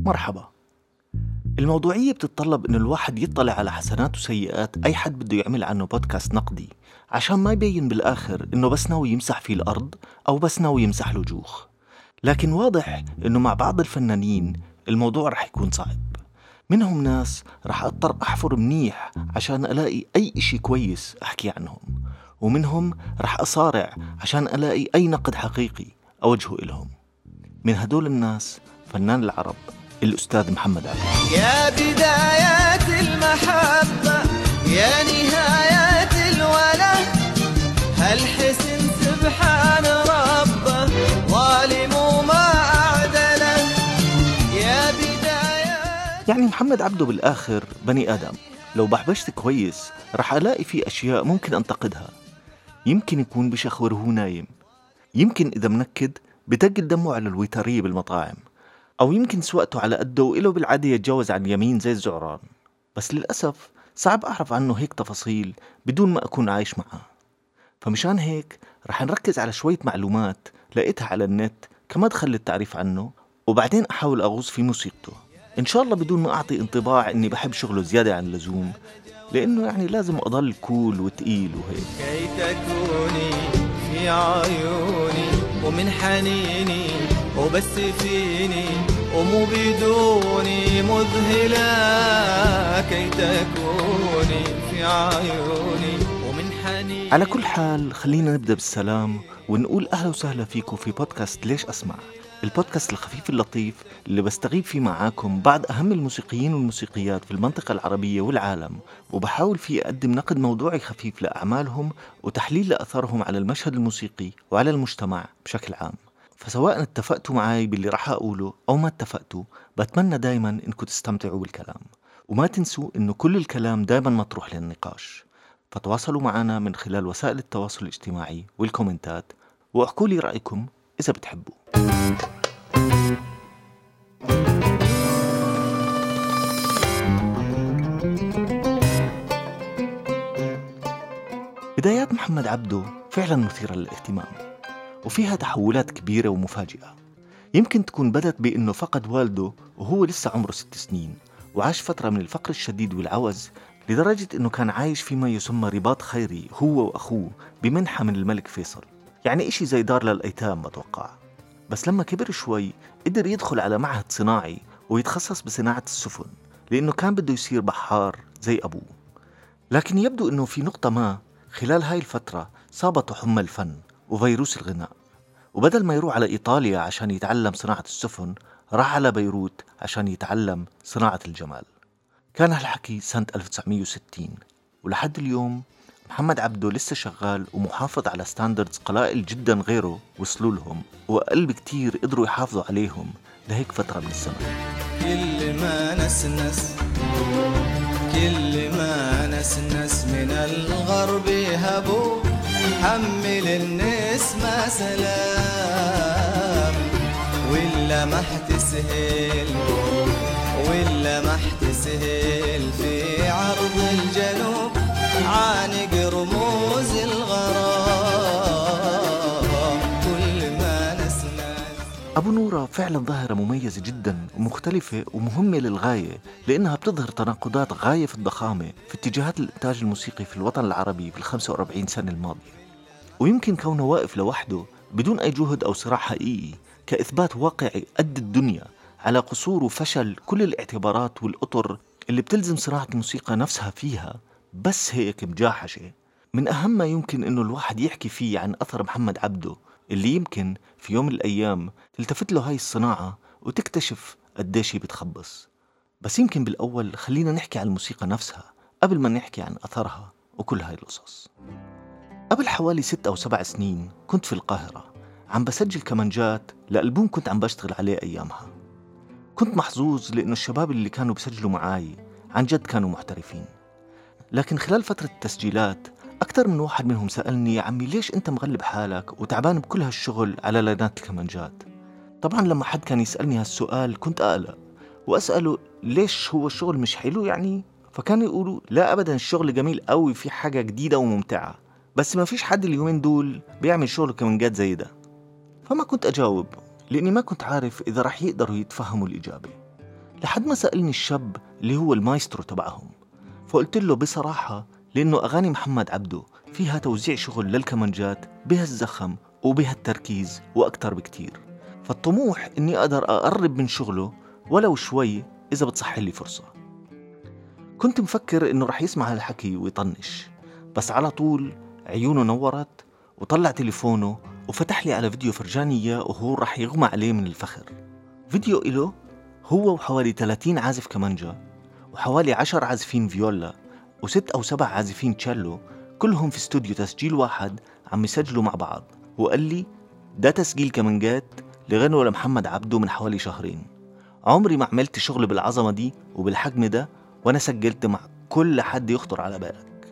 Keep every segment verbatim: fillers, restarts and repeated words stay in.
مرحبا. الموضوعية بتتطلب إنه الواحد يطلع على حسنات وسيئات أي حد بده يعمل عنه بودكاست نقدي، عشان ما يبين بالآخر إنه بس ناوي يمسح فيه الأرض أو بس ناوي يمسح له جوخ. لكن واضح إنه مع بعض الفنانين الموضوع رح يكون صعب. منهم ناس رح أضطر أحفر منيح عشان ألاقي أي إشي كويس أحكي عنهم، ومنهم رح أصارع عشان ألاقي أي نقد حقيقي أوجهه إلهم. من هدول الناس فنان العرب الأستاذ محمد عبدو. يا بدايات المحبة يا نهايات الوله، هالحسن سبحان ربه ظالم وما أعدله. يا بدايات يعني محمد عبدو بالآخر بني آدم، لو بحبشت كويس رح ألاقي فيه أشياء ممكن أنتقدها. يمكن يكون بشخور وهو نايم، يمكن إذا منكد بتقل دمه على الويترية بالمطاعم، أو يمكن سوقته على قده وإله بالعادة يتجاوز عن اليمين زي الزعران. بس للأسف صعب أعرف عنه هيك تفاصيل بدون ما أكون عايش معه. فمشان هيك رح نركز على شوية معلومات لقيتها على النت كمدخل للتعريف عنه، وبعدين أحاول أغوص في موسيقته، إن شاء الله بدون ما أعطي انطباع إني بحب شغله زيادة عن اللزوم، لأنه يعني لازم أضل كول وتقيل وهيك. كي تكوني في عيوني ومن حنيني وبس فيني ومو بدوني مذهلة، كي تكوني في عيوني ومن حنيني. على كل حال خلينا نبدأ بالسلام ونقول أهلا وسهلا فيكم في بودكاست ليش أسمع، البودكاست الخفيف اللطيف اللي بستغيب فيه معاكم بعض أهم الموسيقيين والموسيقيات في المنطقة العربية والعالم، وبحاول فيه أقدم نقد موضوعي خفيف لأعمالهم وتحليل لأثرهم على المشهد الموسيقي وعلى المجتمع بشكل عام. فسواء اتفقتوا معاي باللي راح أقوله أو ما اتفقتوا، بتمنى دايما إنكم تستمتعوا بالكلام، وما تنسوا إنه كل الكلام دايما مطروح للنقاش. فتواصلوا معنا من خلال وسائل التواصل الاجتماعي والكومنتات، واحكوا لي رأيكم إذا بتحبوا. بدايات محمد عبدو فعلا مثيرة للاهتمام، وفيها تحولات كبيرة ومفاجئة. يمكن تكون بدت بأنه فقد والده وهو لسه عمره ست سنين، وعاش فترة من الفقر الشديد والعوز لدرجة أنه كان عايش فيما يسمى رباط خيري هو وأخوه بمنحة من الملك فيصل، يعني إشي زي دار للأيتام بتوقع. بس لما كبر شوي قدر يدخل على معهد صناعي ويتخصص بصناعة السفن، لأنه كان بده يصير بحار زي أبوه. لكن يبدو أنه في نقطة ما خلال هاي الفترة صابته حمى الفن وفيروس الغناء، وبدل ما يروح على إيطاليا عشان يتعلم صناعة السفن راح على بيروت عشان يتعلم صناعة الجمال. كان هالحكي سنة ألف وتسعمية وستين، ولحد اليوم محمد عبدو لسه شغال ومحافظ على ستاندردز قلائل جدا غيره وصلوا لهم، وأقل بكتير قدروا يحافظوا عليهم لهيك فترة من الزمن. كل ما نسنس كل ما نسنس من الغرب هبو، حمل النسمة سلام ولا ما احتسهل ولا ما احتسهل في عرض الجنوب، عانق رموز الغرام كل ما نسنس. أبو نورة فعلا ظاهرة مميزة جدا ومختلفة ومهمة للغاية، لأنها بتظهر تناقضات غاية في الضخامة في اتجاهات الإنتاج الموسيقي في الوطن العربي في الخمسة وأربعين سنة الماضية. ويمكن كونه واقف لوحده بدون أي جهد أو صراع حقيقي كإثبات واقعي قد الدنيا على قصور وفشل كل الاعتبارات والأطر اللي بتلزم صناعة الموسيقى نفسها فيها، بس هيك مجاحشة. من أهم ما يمكن إنه الواحد يحكي فيه عن أثر محمد عبدو، اللي يمكن في يوم من الأيام تلتفت له هاي الصناعة وتكتشف قديش هي بتخبص. بس يمكن بالأول خلينا نحكي عن الموسيقى نفسها قبل ما نحكي عن أثرها وكل هاي القصص. قبل حوالي ست أو سبع سنين كنت في القاهرة عم بسجل كمانجات لألبوم كنت عم بشتغل عليه أيامها. كنت محظوظ لأنه الشباب اللي كانوا بسجلوا معاي عن جد كانوا محترفين. لكن خلال فترة التسجيلات أكتر من واحد منهم سألني: يا عمي ليش أنت مغلب حالك وتعبان بكل هالشغل على لينات الكمانجات؟ طبعا لما حد كان يسألني هالسؤال كنت أقلق وأسأله ليش هو الشغل مش حلو يعني؟ فكانوا يقولوا لا أبدا الشغل جميل قوي، في حاجة جديدة وممتعة، بس ما فيش حد اليومين دول بيعمل شغل كمانجات زي ده. فما كنت أجاوب لأني ما كنت عارف إذا رح يقدروا يتفهموا الإجابة. لحد ما سألني الشاب اللي هو المايسترو تبعهم، فقلت له بصراحة لأنه أغاني محمد عبده فيها توزيع شغل للكمانجات بهالزخم وبهالتركيز وأكتر بكتير، فالطموح إني أقدر أقرب من شغله ولو شوي إذا بتصح لي فرصة. كنت مفكر إنه رح يسمع هالحكي ويطنش، بس على طول عيونه نورت وطلع تليفونه وفتح لي على فيديو فرجاني إياه وهو رح يغمى عليه من الفخر. فيديو إله هو وحوالي ثلاثين عازف كمانجا وحوالي عشر عازفين فيولا وست أو سبع عازفين تشيلو، كلهم في استوديو تسجيل واحد عم يسجلوا مع بعض. وقال لي ده تسجيل كمانجات لغنوة لمحمد عبده من حوالي شهرين، عمري ما عملت شغل بالعظمة دي وبالحجم ده، وأنا سجلت مع كل حد يخطر على بالك.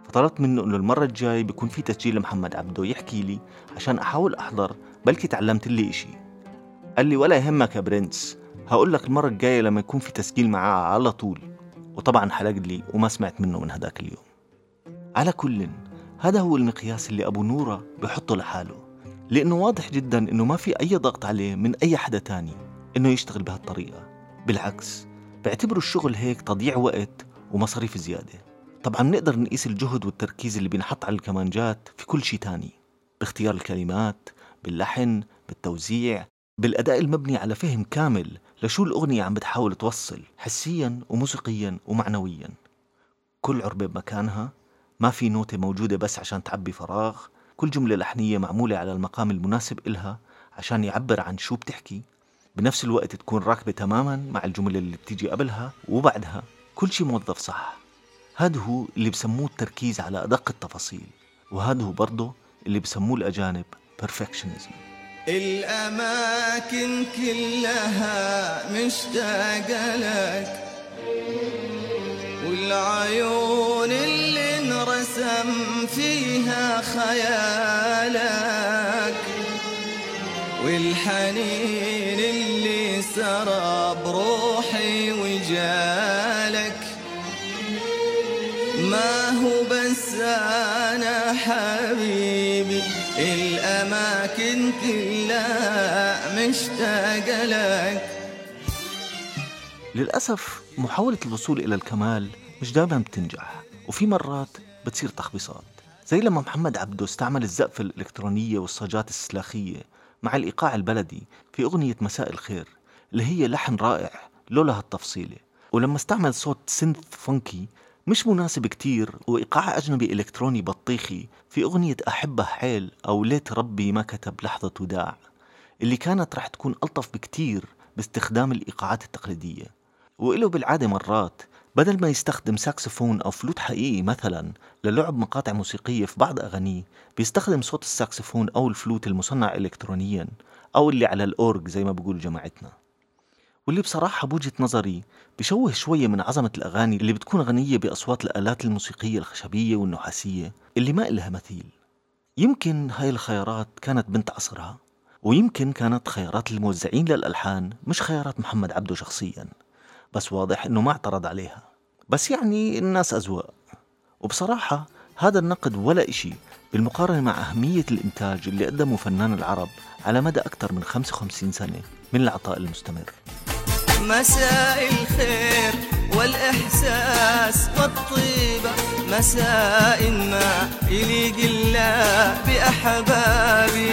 فطلبت منه إنه المرة الجاي بيكون في تسجيل لمحمد عبده يحكي لي عشان أحاول أحضر، بلكي تعلمت لي إشي. قال لي ولا يهمك يا برنس، هقول لك المرة الجاية لما يكون في تسجيل معاه على طول. وطبعا حلق لي وما سمعت منه من هداك اليوم. على كل، هذا هو المقياس اللي أبو نورة بيحطه لحاله، لأنه واضح جدا إنه ما في أي ضغط عليه من أي حدا تاني إنه يشتغل بهالطريقة. بالعكس بعتبروا الشغل هيك تضييع وقت ومصاريف زيادة. طبعا بنقدر نقيس الجهد والتركيز اللي بينحط على الكمانجات في كل شي تاني، باختيار الكلمات، باللحن، بالتوزيع، بالأداء المبني على فهم كامل لشو الأغنية عم بتحاول توصل حسيا وموسيقيا ومعنويا. كل عربة بمكانها، ما في نوتة موجودة بس عشان تعبي فراغ، كل جملة لحنية معمولة على المقام المناسب إلها عشان يعبر عن شو بتحكي، بنفس الوقت تكون راكبة تماما مع الجملة اللي بتيجي قبلها وبعدها، كل شي موظف صح. هذا هو اللي بسموه التركيز على أدق التفاصيل، وهذا هو برضه اللي بسموه الأجانب perfectionism. الأماكن كلها مشتاقة لك، والعيون اللي انرسم فيها خيالك، والحنين اللي سرى بروحي وجالك. ما هو بس أنا حبيبي، الأماكن كلها مشتاقة لك. للأسف محاولة الوصول إلى الكمال مش دائما بتنجح، وفي مرات بتصير تخبيصات، زي لما محمد عبده استعمل الزقفة الإلكترونية والصاجات السلاخية مع الإيقاع البلدي في أغنية مساء الخير اللي هي لحن رائع لولا هالتفصيلة، ولما استعمل صوت سينث فونكي مش مناسب كتير وإيقاع أجنبي إلكتروني بطيخي في أغنية أحبه حيل أو ليت ربي ما كتب لحظة وداع، اللي كانت رح تكون ألطف بكتير باستخدام الإيقاعات التقليدية. وإله بالعادة مرات بدل ما يستخدم ساكسفون أو فلوت حقيقي مثلا للعب مقاطع موسيقية في بعض أغانيه، بيستخدم صوت الساكسفون أو الفلوت المصنع إلكترونيا أو اللي على الأورج زي ما بقول جماعتنا، واللي بصراحة بوجهة نظري بيشوه شوية من عظمة الأغاني اللي بتكون غنية بأصوات الآلات الموسيقية الخشبية والنحاسية اللي ما إلها مثيل. يمكن هاي الخيارات كانت بنت عصرها، ويمكن كانت خيارات الموزعين للألحان مش خيارات محمد عبده شخصيا، بس واضح إنه ما اعترض عليها. بس يعني الناس أذواق، وبصراحة هذا النقد ولا إشي بالمقارنة مع أهمية الإنتاج اللي قدمه فنان العرب على مدى أكثر من خمسة وخمسين سنة من العطاء المستمر. مساء الخير والإحساس والطيبة، مساء ما يليق الله بأحبابي.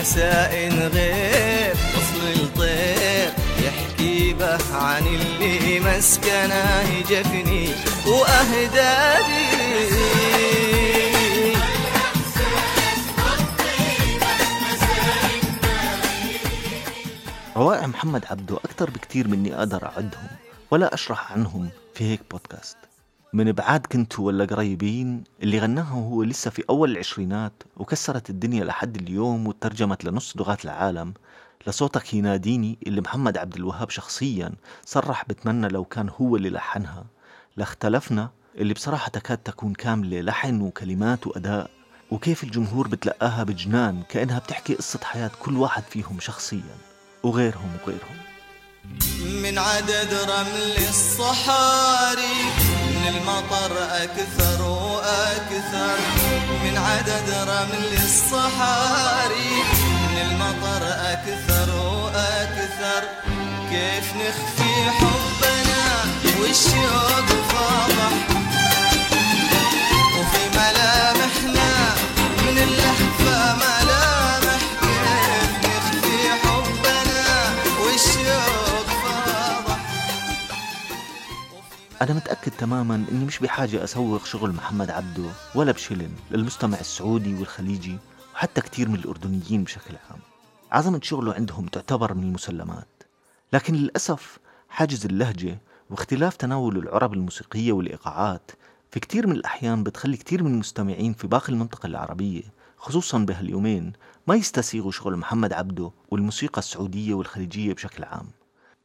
مساء غير وصل الطير يحكي به عن اللي مسكنه جفني وأهدابي. روائع محمد عبده أكتر بكتير مني أقدر أعدهم ولا أشرح عنهم في هيك بودكاست. من بعاد كنتوا ولا قريبين اللي غناها هو لسه في أول العشرينات وكسرت الدنيا لحد اليوم وترجمت لنص لغات العالم، لصوتك يناديني اللي محمد عبد الوهاب شخصيا صرح بتمنى لو كان هو اللي لحنها، لاختلفنا اللي بصراحة تكاد تكون كاملة لحن وكلمات وأداء، وكيف الجمهور بتلقاها بجنان كأنها بتحكي قصة حياة كل واحد فيهم شخصيا وغيرهم وغيرهم. من عدد رمل الصحاري المطر أكثر وأكثر من عدد رمل الصحاري، من المطر أكثر وأكثر كيف نخفي حبنا والشوق فاضح، وفي ملامحنا من اللهفة ملامح كيف نخفي حبنا والشوق فاضح. أنا متأكد تماماً إني مش بحاجة أسوق شغل محمد عبده ولا بشلن للمستمع السعودي والخليجي وحتى كتير من الأردنيين بشكل عام. عظمة شغله عندهم تعتبر من المسلمات، لكن للأسف حاجز اللهجة واختلاف تناول العرب الموسيقية والإيقاعات في كتير من الأحيان بتخلي كتير من المستمعين في باقي المنطقة العربية خصوصاً بهاليومين ما يستسيغوا شغل محمد عبده والموسيقى السعودية والخليجية بشكل عام.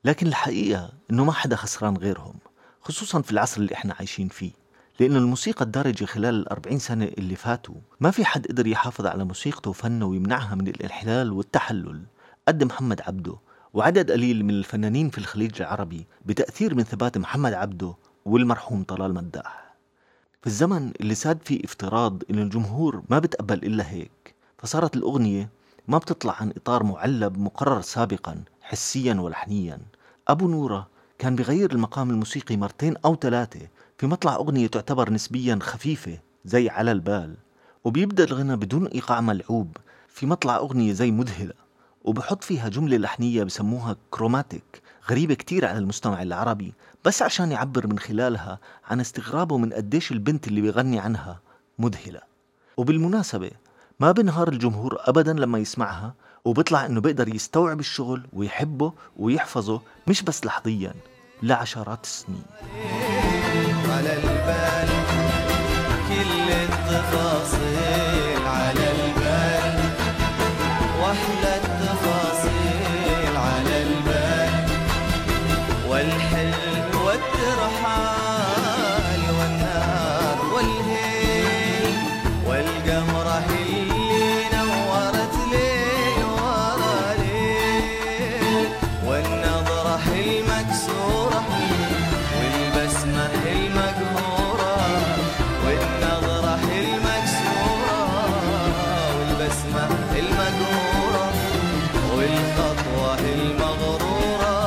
لكن الحقيقة إنه ما حدا خسران غيرهم، خصوصاً في العصر اللي إحنا عايشين فيه، لأنه الموسيقى الدارجة خلال الأربعين سنة اللي فاتوا ما في حد قدر يحافظ على موسيقته وفنه ويمنعها من الانحلال والتحلل قد محمد عبده وعدد قليل من الفنانين في الخليج العربي بتأثير من ثبات محمد عبده والمرحوم طلال مداح. في الزمن اللي ساد فيه افتراض إن الجمهور ما بتقبل إلا هيك، فصارت الأغنية ما بتطلع عن إطار معلب مقرر سابقاً حسياً ولحنياً. أبو نورة كان بغير المقام الموسيقي مرتين أو ثلاثة في مطلع أغنية تعتبر نسبياً خفيفة زي على البال، وبيبدأ الغنى بدون إيقاع ملعوب في مطلع أغنية زي مذهلة، وبحط فيها جملة لحنية بسموها كروماتيك غريبة كتير على المستمع العربي، بس عشان يعبر من خلالها عن استغرابه من قديش البنت اللي بيغني عنها مذهلة. وبالمناسبة ما بنهار الجمهور أبداً لما يسمعها، وبيطلع إنه بيقدر يستوعب الشغل ويحبه ويحفظه مش بس لحظياً لعشرات السنين. على البال كل التفاصيل على البال، واحلى التفاصيل على البال، والحلم والترحال والنار والهيل والقمرة اللي نورت ليل ورا ليل، والنظرة المكسورة والبسمة المقهورة، والنظرة المكسورة والبسمة المقهورة، والخطوة المغرورة،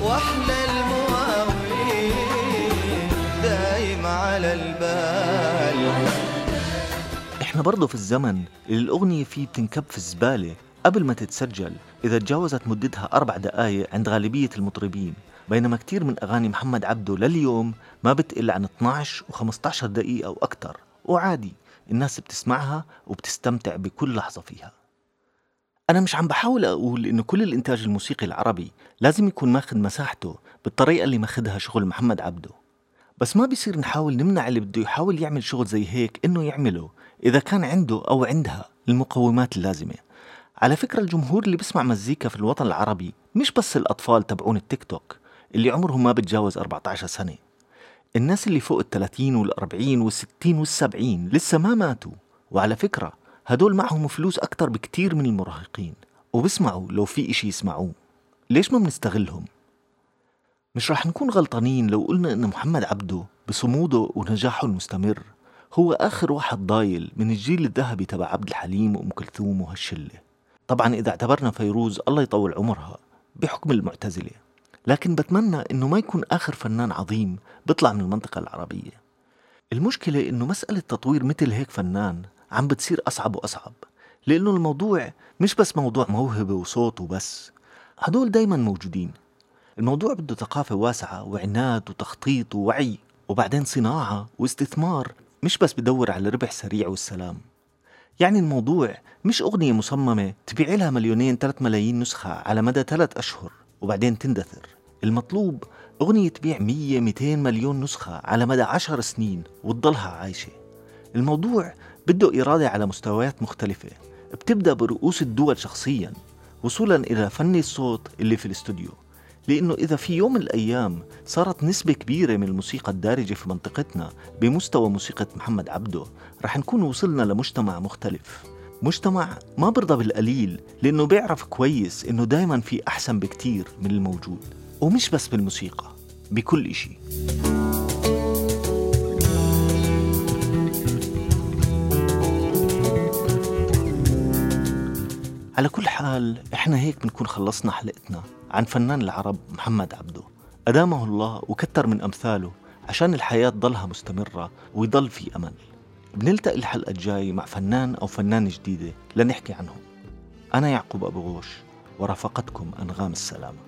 واحلى المواويل دايم على البال. احنا برضو في الزمن اللي الأغنية فيه بتنكب في الزبالة قبل ما تتسجل إذا تجاوزت مدتها أربع دقايق عند غالبية المطربين، بينما كتير من أغاني محمد عبده لليوم ما بتقل عن اثناشر وخمسة عشر دقيقة أو أكتر، وعادي الناس بتسمعها وبتستمتع بكل لحظة فيها. أنا مش عم بحاول أقول إنه كل الإنتاج الموسيقي العربي لازم يكون ماخد مساحته بالطريقة اللي ماخدها شغل محمد عبده، بس ما بيصير نحاول نمنع اللي بده يحاول يعمل شغل زي هيك إنه يعمله إذا كان عنده أو عندها المقومات اللازمة. على فكرة الجمهور اللي بيسمع مزيكا في الوطن العربي مش بس الأطفال تبعون التيك توك اللي عمرهم ما بتجاوز أربعة عشر سنة، الناس اللي فوق الثلاثين والأربعين والستين والسبعين لسه ما ماتوا، وعلى فكرة هدول معهم فلوس أكتر بكتير من المراهقين وبسمعوا لو في إشي يسمعوه. ليش ما بنستغلهم؟ مش رح نكون غلطانين لو قلنا إن محمد عبده بصموده ونجاحه المستمر هو آخر واحد ضايل من الجيل الذهبي تبع عبد الحليم وأم كلثوم وهالشلة، طبعا إذا اعتبرنا فيروز الله يطول عمرها بحكم المعتزلة، لكن بتمنى إنه ما يكون آخر فنان عظيم بيطلع من المنطقة العربية. المشكلة إنه مسألة تطوير مثل هيك فنان عم بتصير أصعب وأصعب، لأنه الموضوع مش بس موضوع موهبة وصوت وبس، هدول دايما موجودين. الموضوع بده ثقافة واسعة وعناد وتخطيط ووعي، وبعدين صناعة واستثمار، مش بس بدور على ربح سريع والسلام. يعني الموضوع مش أغنية مصممة تبيع لها مليونين ثلاث ملايين نسخة على مدى ثلاث أشهر وبعدين تندثر. المطلوب أغنية تبيع مية ميتين مليون نسخة على مدى عشر سنين وتضلها عايشة. الموضوع بده إرادة على مستويات مختلفة، بتبدأ برؤوس الدول شخصيا وصولا إلى فني الصوت اللي في الاستوديو، لأنه إذا في يوم من الأيام صارت نسبة كبيرة من الموسيقى الدارجة في منطقتنا بمستوى موسيقى محمد عبده، رح نكون وصلنا لمجتمع مختلف، مجتمع ما برضى بالقليل، لأنه بيعرف كويس إنه دايما في أحسن بكتير من الموجود، ومش بس بالموسيقى، بكل إشي. على كل حال إحنا هيك بنكون خلصنا حلقتنا عن فنان العرب محمد عبده، أدامه الله وكتر من أمثاله عشان الحياة ضلها مستمرة ويضل في أمل. بنلتقي الحلقة الجاي مع فنان أو فنانة جديدة لنحكي عنهم. أنا يعقوب أبو غوش ورافقتكم أنغام السلامة.